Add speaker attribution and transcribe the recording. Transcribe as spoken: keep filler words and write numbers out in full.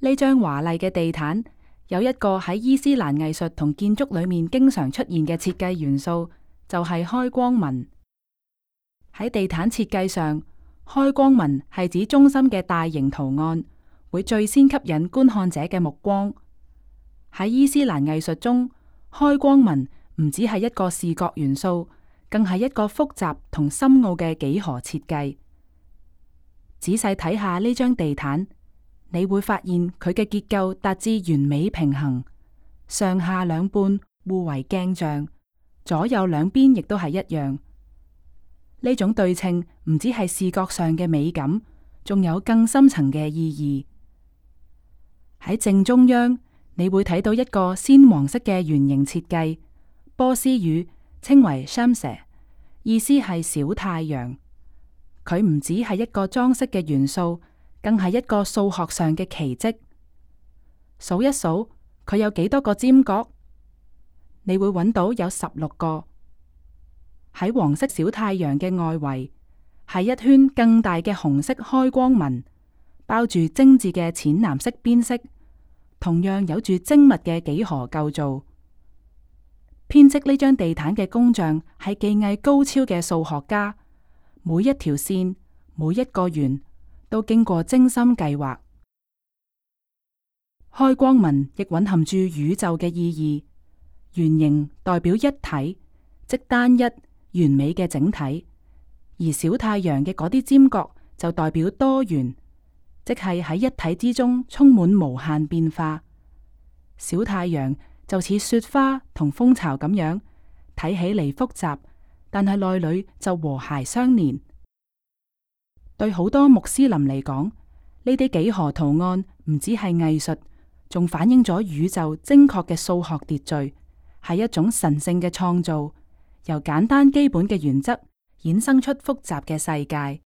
Speaker 1: 呢張華麗嘅地毯有一個喺伊斯蘭藝術同建築裏面經常出現嘅設計元素，就係開光紋。喺地毯設計上，開光紋係指中心嘅大型圖案，會最先吸引觀看者嘅目光。喺伊斯蘭藝術中，開光紋唔只係一個視覺元素，更係一個複雜同深奧嘅幾何設計。仔細睇下呢張地毯，你會發現佢嘅結構達至完美平衡，上下兩半互為鏡像，左右兩邊亦都係一樣。呢種對稱唔只係視覺上嘅美感，仲有更深層嘅意義。喺正中央，你會睇到一個鮮黃色嘅圓形設計，波斯語稱為 Shams， 意思係小太陽。佢唔只係一個裝飾嘅元素，更係一個數學上嘅奇蹟。數一數，佢有幾多個尖角？你會揾到有十六個。喺黃色小太陽嘅外圍，係一圈更大嘅紅色開光紋，包住精緻嘅淺藍色邊色，同樣有住精密嘅幾何構造。編織呢張地毯嘅工匠係技藝高超嘅數學家，每一條線、每一個圓都經過精心計劃。開光紋亦蘊含住宇宙嘅意義，圓形代表一體，即單一完美嘅整體；而小太陽嘅嗰啲尖角就代表多元，即係喺一體之中充滿無限變化。小太陽就似雪花同蜂巢咁樣，睇起嚟複雜，但係內裏就和諧相連。對好多穆斯林嚟講，呢啲幾何圖案唔只係藝術，仲反映咗宇宙精確嘅數學秩序，係一種神聖嘅創造，由簡單基本嘅原則衍生出複雜嘅世界。